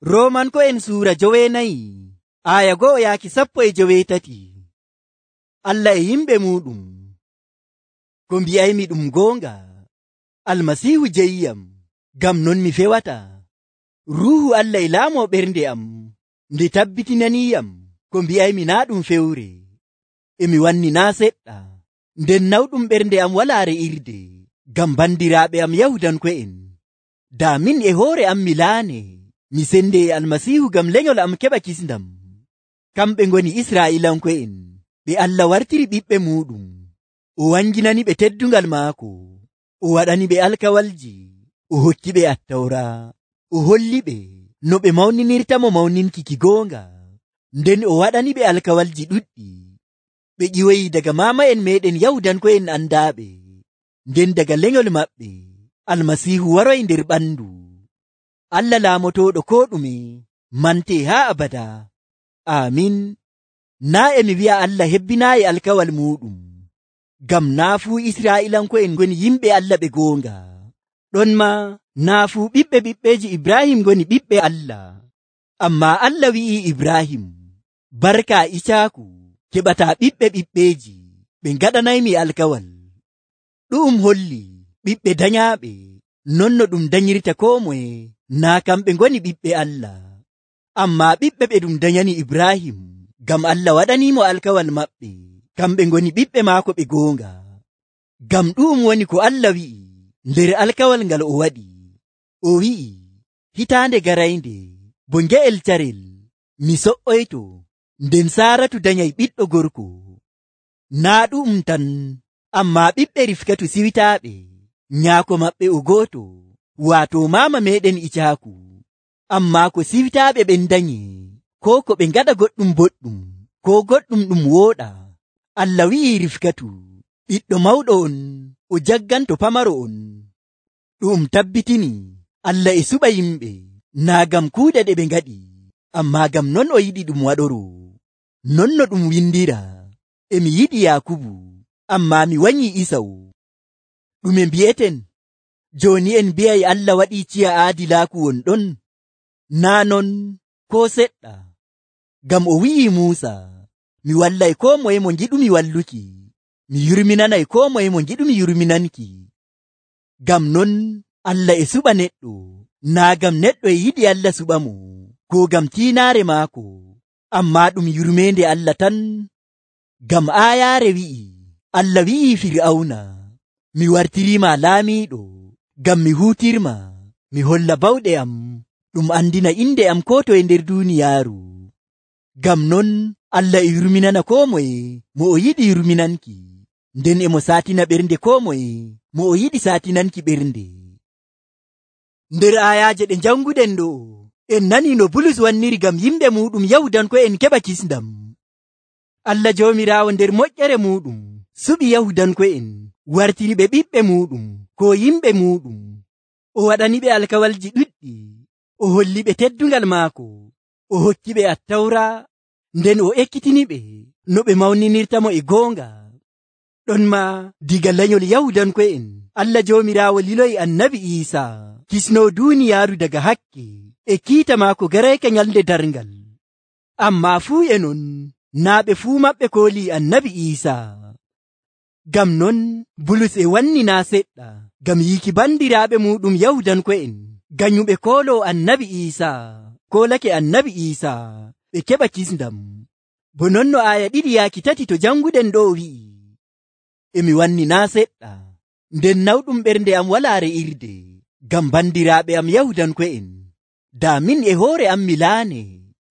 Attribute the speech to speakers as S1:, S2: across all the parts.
S1: Roomanko'en suura 9 aya 1-13. Allah e yimɓe muɗum. Ko mbi'aymi ɗum goonga. Almasiihu jeyiyam, ngam non mi fewata. Ruuhu Allah e laamoo ɓernde am, nde tabbitinaniyam ko mbi'aymi naa ɗum fewre. Emi wanni naa seɗɗa, nden nawɗum ɓernde am walaa re'irde, ngam bandiraaɓe am Yahudanko'en. Daa min e hoore am mi laane, mi sende e Almasiihu ngam lenyol am keɓa kisndam. Kamɓe ngoni Israa'iilanko'en, ɓe Allah wartiri ɓiɓɓe muɗum. O wanginani ɓe teddungal maako. O waɗani ɓe alkawalji. O hokki ɓe Attawra. O holli ɓe no ɓe mawninirtamo mawninki ki goonga. Nden o waɗani ɓe alkawalji ɗuɗɗi. Ɓe ƴiwoyi daga maama'en meɗen Yahudanko'en andaaɓe. Nden daga lenyol maɓɓe, Almasiihu waroy nder ɓandu. Allah laamotooɗo koo ɗume, mante haa abada. Aamin. Naa emi wi'a Allah hebbinaayi alkawal muɗum, ngam naa fuu Israa'iilanko'en ngoni yimɓe Allah ɓe goonga. Ɗon maa naa fuu ɓiɓɓeji Ibrahim ngoni ɓiɓɓe Allah. Ammaa Allah wi'ii Ibrahim, barka Icaaku keɓataa ɓiɓɓeji, ɓe ngaɗanaymi alkawal. Ɗu'um holli ɓiɓɓe danyaaɓe, non no ɗum danyirta koo moye, naa kamɓe ngoni ɓiɓɓe Allah. Ammaa ɓiɓɓe ɓe ɗum danyani Ibrahim, ngam Allah waɗaniimo alkawal maɓɓe, kamɓe ngoni ɓiɓɓe maako ɓe goonga. Ngam ɗu'um woni ko Allah wi'i nder alkawal ngal o waɗi. O wi'i, hitaande garaynde, bo nge'el carel, mi so'oyto, nden Saaratu danyay ɓiɗɗo gorko. Naa ɗu'um tan, ammaa ɓiɓɓe Rifkatu siwitaaɓe, nyaako maɓɓe o gooto, waato maama meɗen Icaaku. Ammaa ko siwitaaɓe ɓen danyi, koo ko ɓe ngaɗa goɗɗum boɗɗum, koo goɗɗum ɗum wooɗa. Allah wi'i Rifkatu, ɓiɗɗo mawɗo on, o jagganto pamaro on. Ɗum tabbitini Allah e suɓa yimɓe, naa ngam kuuɗe ɗe ɓe ngaɗi, ammaa ngam non o yiɗi ɗum waɗoro. Non no ɗum windira, emi yiɗi Yaakubu, ammaa mi wanyi Isaw. Ɗume mbi'eten? Jooni en mbi'ay Allah waɗii ciya aadilaaku won ɗon? Naa non, koo seɗɗa. Ngam o wi'i Muusa, mi wallay koo moye mo ngiɗumi walluki, mi yurminanay koo moye mo ngiɗumi yurminanki. Ngam non Allah e suɓa neɗɗo, naa ngam neɗɗo e yiɗi Allah suɓa mo, koo ngam tiinaare maako, ammaa ɗum yurmeende Allah tan. Ngam aayaare wi'i, Allah wi'i Fir'awna, mi wartiriima laamiiɗo, ngam mi huutirma, mi holla bawɗe am, ɗum andina inde am koo toye nder duuniyaaru. Ngam non Allah e yurminana koo moye mo o yiɗi yurminanki, nden emo saatina ɓernde koo moye mo o yiɗi saatinanki ɓernde. Nder ayaaje ɗe janguɗen ɗo, en nani no Bulus wanniri ngam yimɓe muɗum Yahudanko'en keɓa kisndam. Allah Joomiraawo nder moƴƴere muɗum suɓi Yahudanko'en, wartiri ɓe ɓiɓɓe muɗum ko yimɓe muɗum. O waɗani ɓe alkawalji ɗuɗɗi, o holli ɓe teddungal maako, o hokki ɓe Attawra, nden o ekkitini ɓe no ɓe mawninirtamo e goonga. Ɗon maa diga lanyol Yahudanko'en, Allah Joomiraawo liloyi Annabi Iisaa, kisnoo duuniyaaru daga hakke, e kiita maako garayka nyalde darngal. Ammaa fuu e non, naa ɓe fuu maɓɓe koolii Annabi Iisaa. Ngam non Bulus e wanni naa seɗɗa, ngam yiiki bandiraaɓe muɗum Yahudanko'en, ganyuɓe kooloo Annabi Iisaa, koolake Annabi Iisaa, ɓe keɓa kisndam. Bo non no aya 2-3 to janguɗen ɗo wi'i, emi wanni naa seɗɗa, nden nawɗum ɓernde am walaa re'irde, ngam bandiraaɓe am Yahudanko'en. Daa min e hoore am mi laane,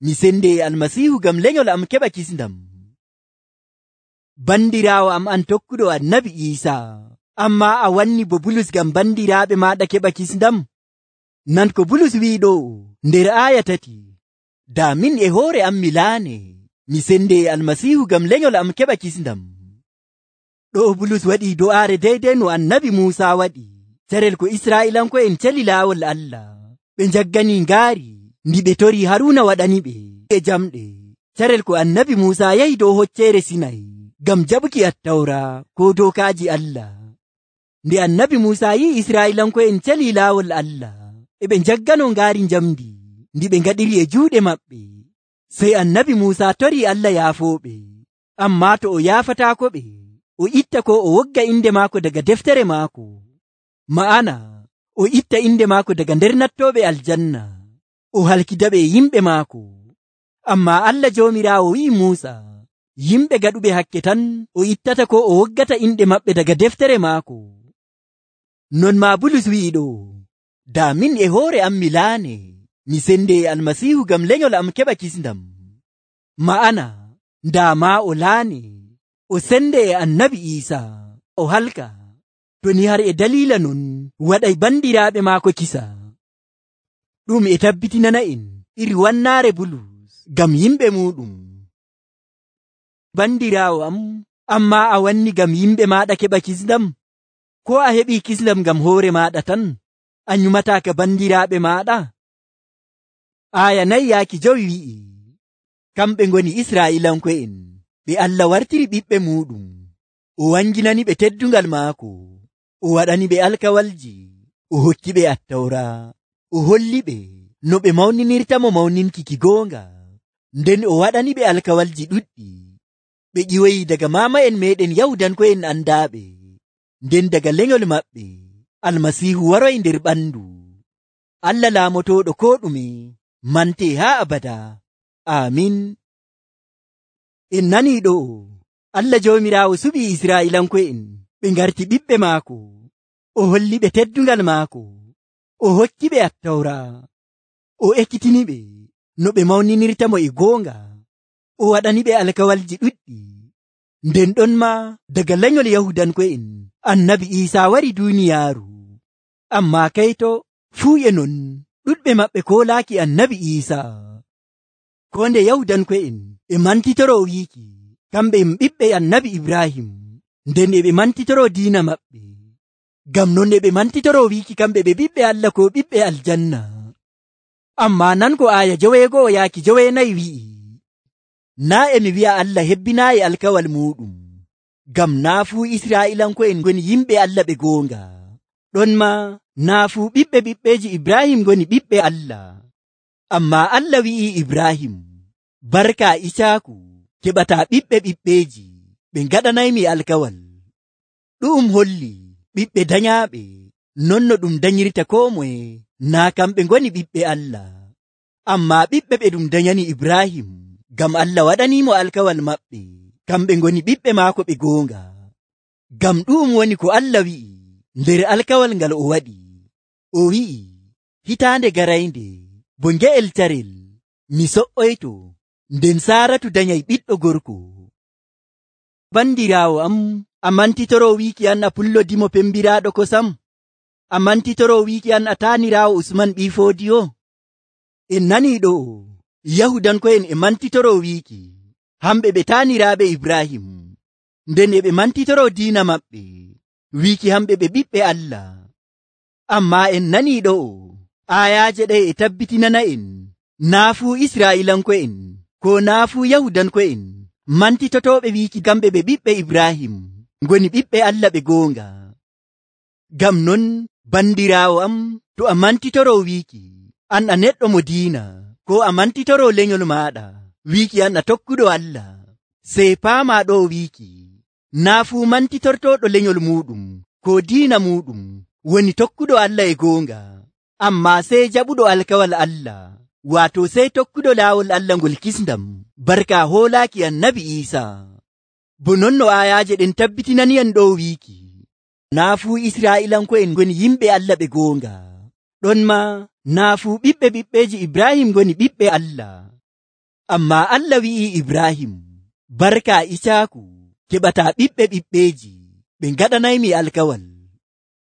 S1: mi sende e Almasiihu ngam lenyol am keɓa kisndam. Bandiraawo am an tokkuɗo Annabi Iisaa, ammaa a wanni bo Bulus ngam bandiraaɓe maaɗa keɓa kisndam? Nan ko Bulus wi'i ɗo nder aya 3, daa min e hoore am mi laane, mi sende e Almasiihu ngam lenyol am keɓa kisndam. Ɗo Bulus waɗi do'aare deydey no Annabi Muusaa waɗi, carel ko Israa'iilanko'en celi laawol Allah, ɓe njaggani ngaari ndi ɓe tori Haruuna waɗani ɓe e jamɗe, carel ko Annabi Muusaa yahi dow hocceere Sinay ngam jaɓuki Attawra ko dookaaji Allah. Nde Annabi Muusaa yi'i Israa'iilanko'en celi laawol Allah, e ɓe njaggano ngaari njamdi ndi ɓe ngaɗiri e juuɗe maɓɓe. Sey annabi Muusa torii Allah yaafooɓe, ammaa to o yaafataako ɓe, o itta ko o wogga inde maako daga deftere maako. Ma'ana o itta inde maako daga nder nattooɓe aljanna, o halkidaɓe e yimɓe maako. Ammaa Allah Joomiraawo wi'i Muusa, yimɓe gaɗuɓe hakke tan o ittata ko o woggata inɗe maɓɓe daga deftere maako. Non maa Bulus wi'i ɗo, daa min e hoore am mi laane, mi sende e Almasiihu ngam lenyol am keɓa kisndam. Ma'ana ndaa maa o laane, o sende e annabi Iisaa, o halka, to ni har e daliila non waɗay bandiraaɓe maako kisa. Ɗum e tabbitinana en iri wannaare Bulus ngam yimɓe muɗum. Bandiraawo am, ammaa a wanni ngam yimɓe maaɗa keɓa kisndam? Ko a heɓii kisndam ngam hoore maaɗa tan, a nyumataaka bandiraaɓe maaɗa? Aaya 4 wi'i, kamɓe ngoni Israa'iilanko'en, ɓe Allah wartiri ɓiɓɓe muɗum, o wanginani ɓe teddungal maako, o waɗani ɓe alkawalji, o hokki ɓe Attawra, o holli ɓe no ɓe mawninirtamo mawninki ki goonga, nden o waɗani ɓe alkawalji ɗuɗɗi. Ɓe ƴiwoyi daga maama'en meɗen Yahudanko'en andaaɓe, nden daga lenyol maɓɓe Almasiihu waroy nder ɓandu. Allah laamotooɗo ko ɗume mante haa abada. Amin. En nanii ɗo, Allah Joomiraawo suɓii Israa'iilanko'en ɓe ngarti ɓiɓɓe maako, o holli ɓe teddungal maako, o hokki ɓe Attawra, o ekkitini ɓe no ɓe mawninirtamo e goonga, o waɗani ɓe alkawalji ɗuɗɗi. Nden ɗon ma daga lenyol Yahudanko'en annabi Iisaa wari duuniyaaru, ammaa kayto fuu e non ɗuɗɓe maɓɓe koolaaki annabi Iisaa. Ko nde Yahudanko'en e mantitoro wiiki kamɓe ɓiɓɓe annabi Ibrahim, nden e ɓe mantitoro diina maɓɓe. Ngam non e ɓe mantitoro wiiki kamɓe ɓe ɓiɓɓe Allah ko ɓiɓɓe aljanna. Ammaa nango aaya 9 wi'i, naa e mi wi'a Allah hebbinaayi alkawal muɗum, ngam naa fuu Israa'iilanko'en ngoni yimɓe Allah ɓe goonga, ɗon ma naa fuu ɓiɓɓeji Ibrahim ngoni ɓiɓɓe Allah. Ammaa Allah wi'i Ibrahim, barka Isaaku keɓataa ɓiɓɓeji, ɓe ngaɗanaymi alkawal. Ɗum holli ɓiɓɓe danyaaɓe, non no ɗum danyirta koo moye, naa kamɓe ngoni ɓiɓɓe Allah. Ammaa ɓiɓɓe ɓe ɗum danyani Ibrahim, ngam Allah waɗaniimo alkawal maɓɓe, kamɓe ngoni ɓiɓɓe maako ɓe goonga. Ngam ɗum woni ko Allah wi'i nder alkawal ngal o waɗi. O wi'i, hitaande garaynde bo nge'el carel, mi so'oyto, nden Saaratu danyay ɓiɗɗo gorko. Bandiraawo am, a mantitoro wiiki an a pullodimo pembiraaɗo kosam? A mantitoro wiiki an a taaniraawo Usman ɓii Foodiyo? En nanii ɗo, Yahudanko'en e mantitoro wiiki hamɓe ɓe taaniraaɓe Ibrahim, nden e ɓe mantitoro diina maɓɓe, wiiki hamɓe ɓe ɓiɓɓe Allah. Ammaa en nanii ɗo, aayaaje ɗe e tabbitinana en naa fuu Israa'iilanko'en ko naa fuu Yahudanko'en mantitotooɓe wiiki kamɓe ɓe ɓiɓɓe Ibrahim ngoni ɓiɓɓe Allah ɓe goonga. Ngam non bandiraawo am, to a mantitoro wiiki an a neɗɗo mo diina, ko a mantitoro lenyol maaɗa wiiki an a tokkuɗo Allah, sey paamaa ɗo wiiki naa fuu mantitortoɗo lenyol muɗum ko diina muɗum woni tokkuɗo Allah e goonga, ammaa sey jaɓuɗo alkawal Allah, waato sey tokkuɗo laawol Allah ngol kisndam barka hoolaaki annabi Iisaa. Bo non no aayaaje ɗen tabbitinaniyan ɗo wiiki naa fuu Israa'iilanko'en ngoni yimɓe Allah ɓe goonga, ɗon ma naa fuu ɓiɓɓeji Ibrahim ngoni ɓiɓɓe Allah. Ammaa Allah wi'i Ibrahim, barka Isaaku keɓataa ɓiɓɓeji, ɓe ngaɗanaymi alkawal.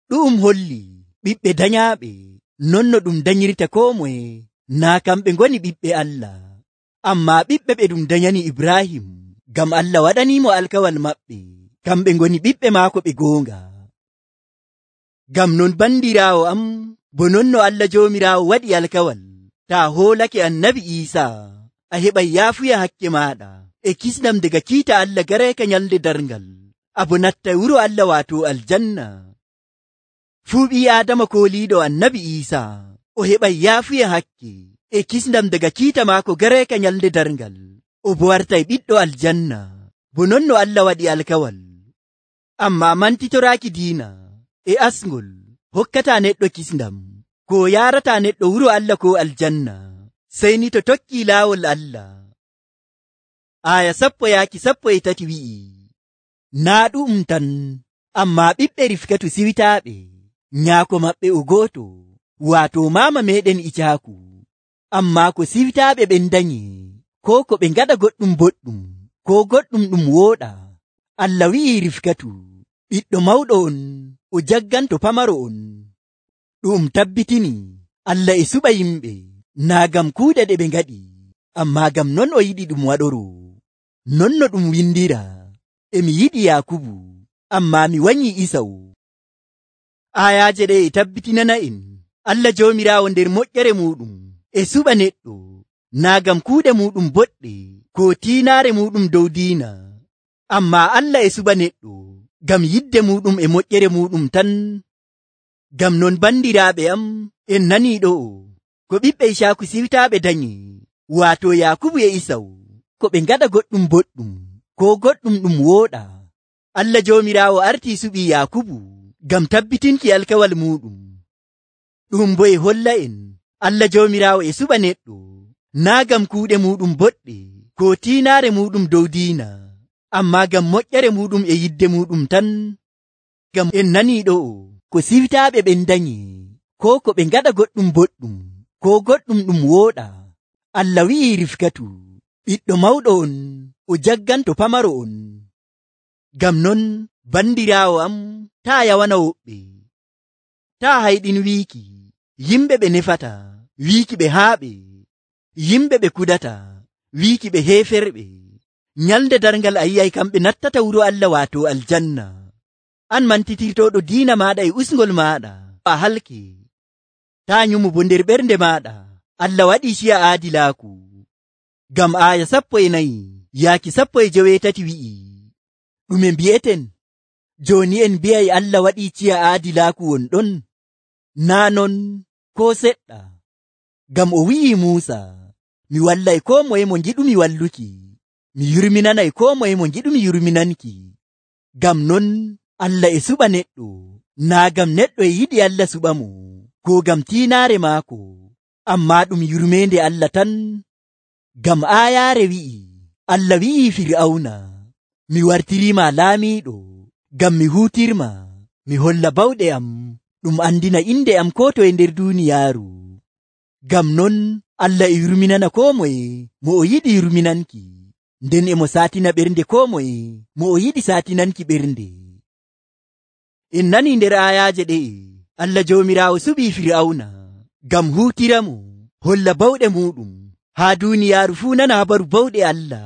S1: Ɗum holli ɓiɓɓe danyaaɓe, non no ɗum danyirta koo moye, naa kamɓe ngoni ɓiɓɓe Allah. Ammaa ɓiɓɓe ɓe ɗum danyani Ibrahim, ngam Allah waɗaniimo alkawal maɓɓe, kamɓe ngoni ɓiɓɓe maako ɓe goonga. Ngam non bandiraawo am, bo non no Allah Joomiraawo waɗi alkawal, taa hoolake annabi Iisaa, a heɓay yaafuya hakke maaɗa e kisnam daga kiita Allah gareeka nyalde darngal, abo natta wuro Allah waato aljanna. Fuu ɓii Aadama kooliiɗo annabi Iisaa, o heɓay yaafuya hakke e kisndam daga kiita maako gareeka nyalnde darngal, o bo wartay ɓiɗɗo aljanna, bo non no Allah waɗi alkawal. Ammaa mantitoraaki diina e asngol hokkataa neɗɗo kisndam, ko yaarataa neɗɗo wuro Allah ko aljanna, sey ni to tokkii laawol Allah. Aya 10:13 wi'i, naa ɗum tan, ammaa ɓiɓɓe Rifkatu siwtaaɓe, nyaako maɓɓe o gooto, waato maama meeɗen Icaaku. Ammaa ko siwtaaɓe ɓen danyi, ko ɓe ngaɗa goɗɗum boɗɗum, ko goɗɗum ɗum wooɗa. Allah wi'i Rifkatu, ɓiɗɗo mawɗo on, o jagganto pamaro on. Ɗum tabbitini Allah e suɓa yimɓe, naa ngam kuuɗe ɗe ɓe ngaɗi, ammaa ngam non o yiɗi ɗum waɗoro. Non no ɗum windira, emi yiɗi Yaakubu, ammaa mi wanyi Isaw. Ayaaje ɗe e tabbitinana en Allah Joomiraawo nder moƴƴere muɗum e suɓa neɗɗo, naa ngam kuuɗe muɗum boɗɗe, ko tiinaare muɗum dow diina, ammaa Allah e suɓa neɗɗo ngam yidde muɗum e moƴƴere muɗum tan. Ngam non bandiraaɓe am, en nanii ɗo'o ko ɓiɓɓe Icaaku siwtaaɓe danyi, waato Yaakubu e Isaw, ko ɓe ngaɗa goɗɗum boɗɗum, ko goɗɗum ɗum wooɗa. Allah Joomiraawo artii suɓii Yaakubu ngam tabbitinki alkawal muɗum. Ɗum bo e holla en Allah Joomiraawo e suɓa neɗɗo, naa ngam kuuɗe muɗum boɗɗe, ko tiinaare muɗum dow diina, ammaa ngam moƴƴere muɗum e yidde muɗum tan. Ngam en nanii ɗo'o ko siwtaaɓe ɓen danyi, ko ɓe ngaɗa goɗɗum boɗɗum, ko goɗɗum ɗum wooɗa. Allah wi'i Rifkatu, ɓiɗɗo mawɗo on, o jagganto pamaro on. Ngam non bandiraawo am, taa yawana woɓɓe, taa hayɗin wiiki yimɓe ɓe nefata, wiiki ɓe haaɓe, yimɓe ɓe kudata, wiiki ɓe heeferɓe. Nyalnde darngal a yi'ay kamɓe nattata wuro Allah waato aljanna. An mantitirtoɗo diina maaɗa e usngol maaɗa, a halke. Taa nyumu bo nder ɓernde maaɗa, Allah waɗii ciya aadilaaku. Ngam aya 14:18 wi'i, ɗume mbi'eten? Jooni en mbi'ay Allah waɗii ciya aadilaaku won ɗon? Naa non ko seɗɗa. Ngam o wi'i Muusa, mi wallay koo moye mo ngiɗumi walluki, mi yurminanay koo moye mo ngiɗumi yurminanki. Ngam non Allah e suɓa neɗɗo, naa ngam neɗɗo e yiɗi Allah suɓa mo, ko ngam tiinaare maako, ammaa ɗum yurmeende Allah tan. Ngam aayaare wi'i, Allah wi'i Fir'awna, mi wartiriima laamiiɗo, ngam mi huutirma, mi holla bawɗe am, ɗum andina inde am ko toye nder duuniyaaru. Ngam non Allah e yurminana koo moye mo o yiɗi yurminanki, nden emo saatina ɓernde koo moye mo o yiɗi saatinanki ɓernde. En nanii nder ayaaje ɗe'e, Allah Joomiraawo suɓii Fir'awna ngam huutiramo, holla bawɗe muɗum, haa duuniyaaru fuu nana habaru bawɗe Allah.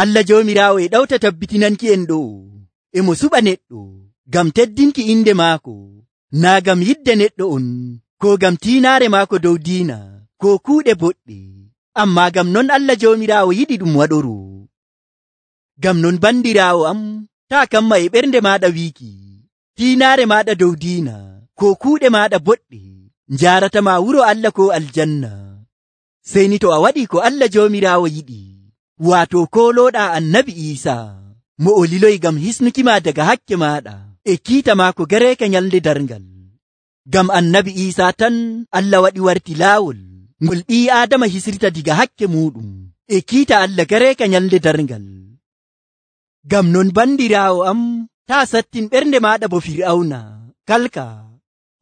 S1: Allah Joomiraawo e ɗawta tabbitinanki en ɗo, emo suɓa neɗɗo ngam teddinki inde maako, naa ngam yidde neɗɗo on, ko ngam tiinaare maako dow diina, ko kuuɗe boɗɗe, ammaa ngam non Allah Joomiraawo yiɗi ɗum waɗoro. Ngam non bandiraawo am, taa kamma e ɓernde maaɗa wiiki, tiinaare maaɗa dow diina, ko kuuɗe maaɗa boɗɗe, njaaratama wuro Allah ko aljanna. Sey ni to a waɗi ko Allah Joomiraawo yiɗi, waato koolooɗaa Annabi Iisaa, mo o liloyi ngam hisnukima daga hakke maaɗa e kiita maako gareeka nyalnde darngal. Ngam Annabi Iisaa tan Allah waɗi warti laawol ngol ɓii Aadama hisrita diga hakke muɗum e kiita Allah gareeka nyalnde darngal. Ngam non bandiraawo am, taa sattin ɓernde maaɗa bo Fir'awna, kalka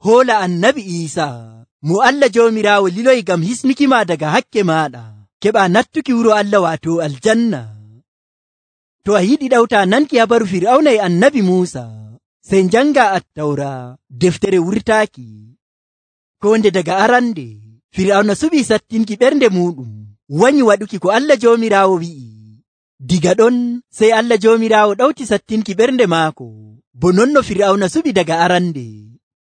S1: hoola Annabi Iisaa mo Allah Joomiraawo liloyi ngam hisnukima daga hakke maaɗa, keɓa nattuki wuro Allah waato aljanna. To a yiɗi ɗawta nanki habaru Fir'awna e Annabi Muusa, sey njanga Attawra, deftere wurtaaki. Ko nde daga arande Fir'awna suɓii sattinki ɓernde muɗum, wanyi waɗuki ko Allah Joomiraawo wi'i. Diga ɗon sey Allah Joomiraawo ɗawti sattinki ɓernde maako, bo non no Fir'awna suɓi daga arande.